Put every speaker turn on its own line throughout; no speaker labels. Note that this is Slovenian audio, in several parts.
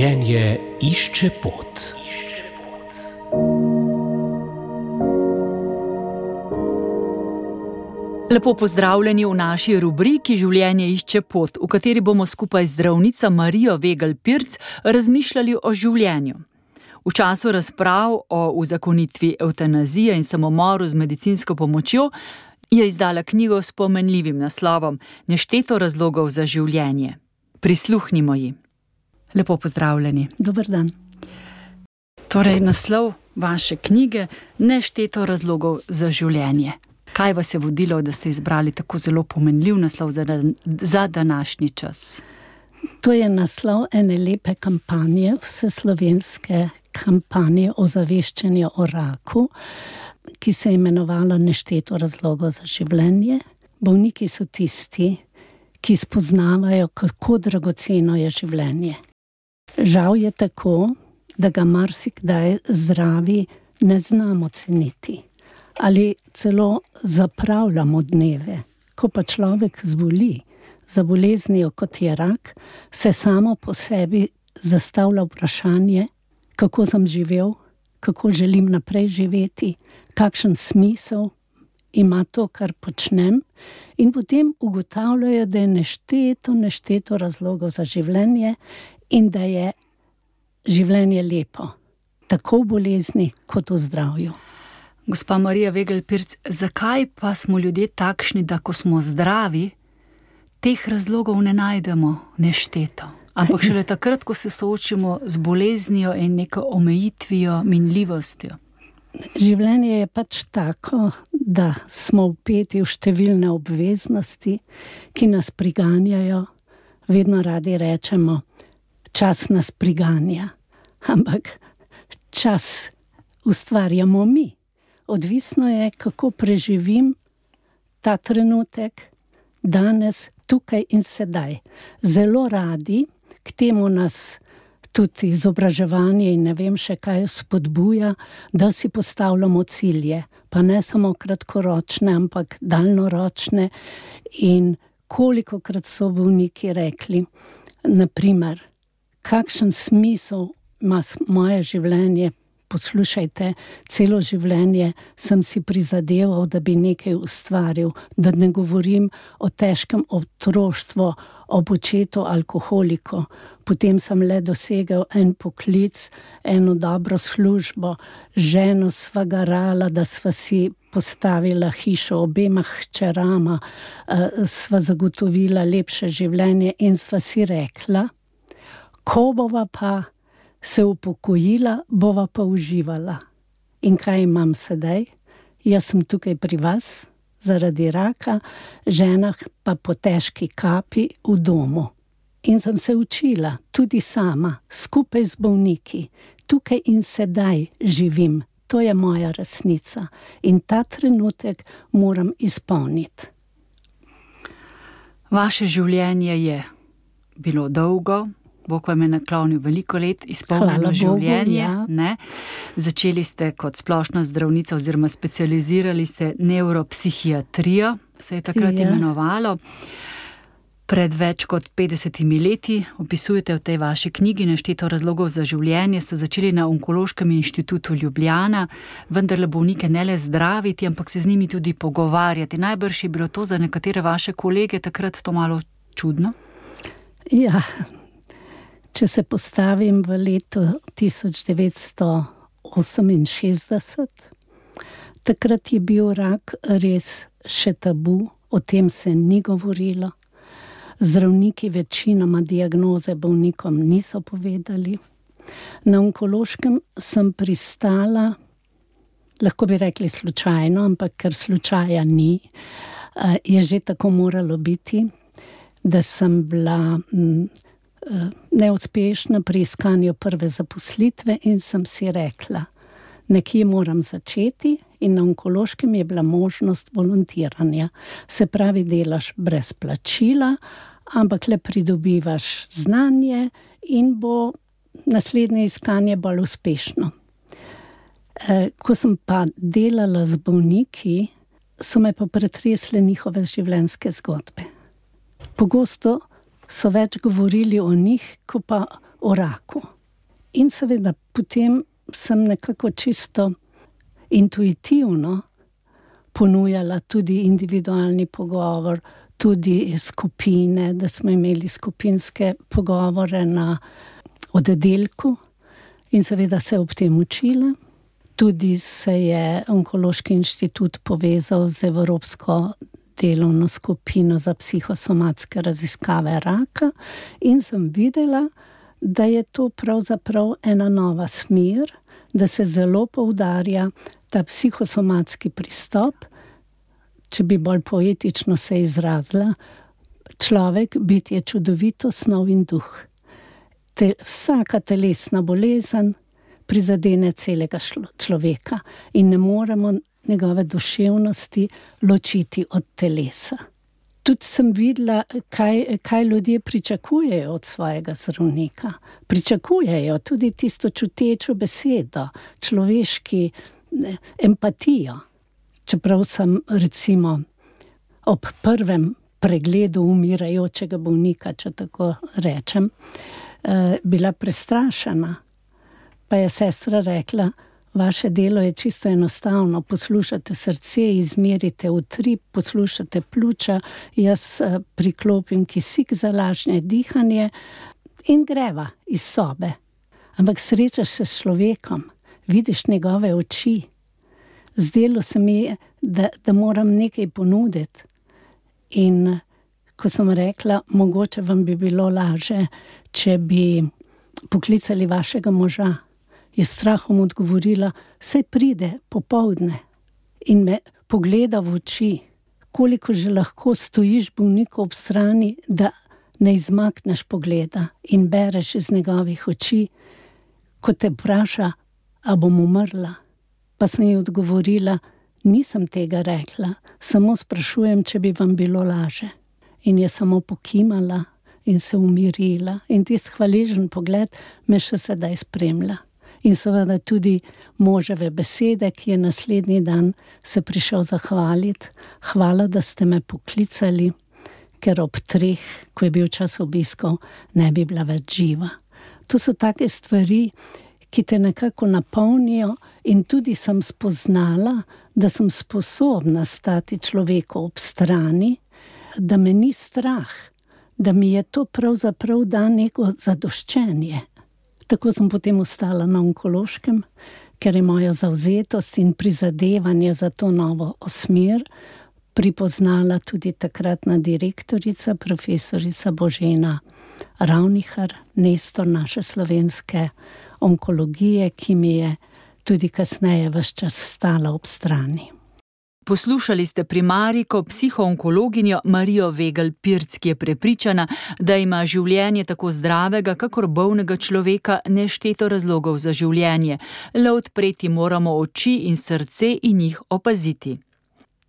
Življenje išče pot.
Lepo pozdravljeni v naši rubriki Življenje išče pot, v kateri bomo skupaj z zdravnico Marijo Vegel Pirc razmišljali o življenju. V času razprav o uzakonitvi evtanazije in samomoru z medicinsko pomočjo je izdala knjigo s pomenljivim naslovom Nešteto razlogov za življenje. Prisluhnimo ji. Lepo pozdravljeni.
Dober dan.
Torej, naslov vaše knjige Nešteto razlogov za življenje. Kaj vas je vodilo, da ste izbrali tako zelo pomenljiv naslov za današnji čas?
To je naslov ene lepe kampanje, vseslovenske kampanje ozaveščanja o raku, ki se je imenovala Nešteto razlogov za življenje. Bolniki so tisti, ki spoznavajo, kako dragoceno je življenje. Žal je tako, da ga marsikdaj zdravi ne znamo ceniti. Ali celo zapravljamo dneve. Ko pa človek zboli za boleznijo, kot je rak, se samo po sebi zastavlja vprašanje, kako sem živel, kako želim naprej živeti, kakšen smisel ima to, kar počnem, in potem ugotavljajo, da je nešteto razlogov za življenje in da je življenje lepo, tako v bolezni kot v zdravju.
Gospa Marija Vegel Pirc, zakaj pa smo ljudje takšni, da ko smo zdravi, teh razlogov ne najdemo nešteto? Ampak šele takrat, ko se soočimo z boleznijo in neko omejitvijo, minljivostjo.
Življenje je pač tako, da smo vpeti v številne obveznosti, ki nas priganjajo. Vedno radi rečemo, čas nas priganja, ampak čas ustvarjamo mi. Odvisno je, kako preživim ta trenutek, danes, tukaj in sedaj. Zelo radi, k temu nas tudi izobraževanje in ne vem še kaj spodbuja, da si postavljamo cilje, pa ne samo kratkoročne, ampak daljnoročne. In kolikokrat so bolniki rekli, naprimer, kakšen smisel ima moje življenje. Poslušajte, celo življenje sem si prizadeval, da bi nekaj ustvaril, da ne govorim o težkem otroštvu, ob očetu alkoholiku. Potem sem le dosegel en poklic, eno dobro službo, ženo sva garala, da sva si postavila hišo, obema hčerama, sva zagotovila lepše življenje in sva si rekla, ko bova pa se upokojila, bova pa uživala. In kaj imam sedaj? Jaz sem tukaj pri vas zaradi raka, žena pa po težki kapi v domu. In sem se učila tudi sama, skupaj z bolniki. Tukaj in sedaj živim. To je moja resnica. In ta trenutek moram izpolniti. Vaše
življenje je bilo dolgo, Bog vam je naklonil veliko let, izpolnjeno življenje.
Bogu, ja.
Začeli ste kot splošna zdravnica oziroma specializirali ste nevropsihiatrijo, se je takrat imenovalo. Pred več kot 50 leti, opisujete v tej vaši knjigi Nešteto razlogov za življenje, ste začeli na Onkološkem inštitutu Ljubljana, vendarle bolnike ne le zdraviti, ampak se z njimi tudi pogovarjati. Najbrž je bilo to za nekatere vaše kolege takrat to malo čudno?
Ja. Če se postavim v letu 1968, takrat je bil rak res še tabu, o tem se ni govorilo. Zdravniki večinoma diagnoze bolnikom niso povedali. Na Onkološkem sem pristala, lahko bi rekli slučajno, ampak ker slučaja ni, je že tako moralo biti, da sem bila neuspešna pri iskanju prve zaposlitve in sem si rekla, nekje moram začeti, in na Onkološkem je bila možnost volontiranja. Se pravi, delaš brez plačila, ampak le pridobivaš znanje in bo naslednje iskanje bolj uspešno. Ko sem pa delala z bolniki, so me pa pretresle njihove življenjske zgodbe. Pogosto so več govorili o njih, kot pa o raku. In seveda potem sem nekako čisto intuitivno ponujala tudi individualni pogovor, tudi skupine, da smo imeli skupinske pogovore na oddelku in seveda se ob tem učila. Tudi se je Onkološki inštitut povezal z Evropsko delovno skupino za psihosomatske raziskave raka in sem videla, da je to pravzaprav ena nova smer, da se zelo poudarja ta psihosomatski pristop, če bi bolj poetično se izrazila, človek biti je čudovito snov in duh. Vsaka telesna bolezen prizadene celega človeka in ne moremo njegove duševnosti ločiti od telesa. Tudi sem videla, kaj ljudje pričakujejo od svojega zdravnika. Pričakujejo tudi tisto čutečo besedo, človeški empatijo. Čeprav sem recimo ob prvem pregledu umirajočega bolnika, če tako rečem, bila prestrašena. Pa je sestra rekla, vaše delo je čisto enostavno, poslušate srce, izmerite utrip, poslušate pljuča, jaz priklopim kisik za lažje dihanje in greva iz sobe. Ampak srečaš se s človekom, vidiš njegove oči. Zdelo se mi, da moram nekaj ponuditi. In ko sem rekla, mogoče vam bi bilo lažje, če bi poklicali vašega moža, je strahom odgovorila, saj pride popoldne in me pogleda v oči, koliko že lahko stojiš bolniku ob strani, da ne izmakneš pogleda in bereš iz njegovih oči, ko te vpraša, a bom umrla. Pa sem ji odgovorila, nisem tega rekla, samo sprašujem, če bi vam bilo laže. In je samo pokimala in se umirila. In tisti hvaležen pogled me še sedaj spremlja. In seveda tudi moževe besede, ki je naslednji dan se prišel zahvaliti. Hvala, da ste me poklicali, ker ob 3, ko je bil čas obiskov, ne bi bila več živa. To so take stvari, ki te nekako napolnijo in tudi sem spoznala, da sem sposobna stati človeku ob strani, da me ni strah, da mi je to pravzaprav da neko zadoščenje. Tako sem potem ostala na Onkološkem, ker je moja zavzetost in prizadevanje za to novo smer pripoznala tudi takratna direktorica, profesorica Božena Ravnihar, nestor naše slovenske onkologije, ki mi je tudi kasneje ves čas stala ob strani.
Poslušali ste primarijko psihoonkologinjo Marijo Vegel-Pirc, ki je prepričana, da ima življenje tako zdravega, kakor bolnega človeka nešteto razlogov za življenje. Le odpreti moramo oči in srce in jih opaziti.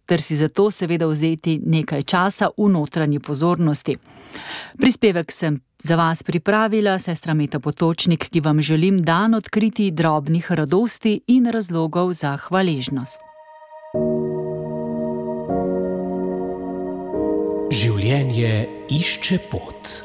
Ter si zato seveda vzeti nekaj časa v notranji pozornosti. Prispevek sem za vas pripravila sestra Meta Potočnik, ki vam želim dan odkriti drobnih radosti in razlogov za hvaležnost.
Življenje išče pot.